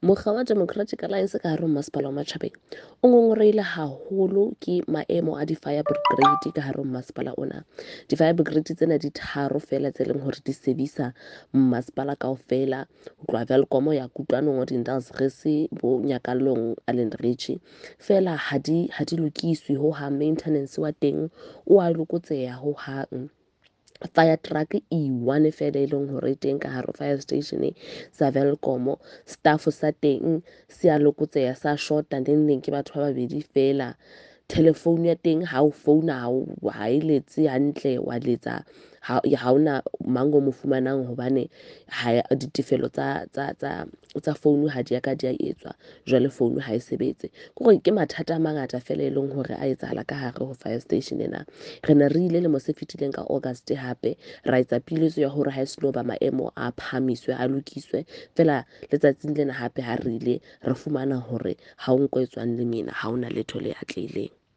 Mokga wa Democratic Alliance ka hare ho Masepala wa Matjhabeng o ngongorehile haholo ke maemo a di-fire brigade ka hare ho masepala ona. Di-fire brigade tsena di tharo feela tse leng hore di sebisa masepala kaofela, ho tloha Welkom ya Kutlwanong, Odendaalsrus, bo Nyakallong, Allanridge. Feela ha di ha di lokiswe hohang, maintenance wa teng o a lokotseha hohang. Fire truck e one fela e leng hore e teng ka hare fire station sa Welkom. Staff sa teng se a lokotseha, sa shota, neng neng ke batho ba babedi fela. Telephone ya teng ha o founa ha e letse hantle, wa letsa ha hona mang o mo fumanang hobane ha ditefelo tsa phone ha di ya ka di a etswa, jwale phone ha e sebetse. Ke hore ke mathata a mangata fela e leng hore a etsahala ka hare ho fire station ena. Re ne re ile lemo se fetileng ka August hape ra etsa piletso ya hore ha e seno ba maemo a phahamiswe, a lokiswe. Feela letsatsing lena hape ha re ile re fumana hore ha o nko e tswang lemina, ha hona letho le atlehileng.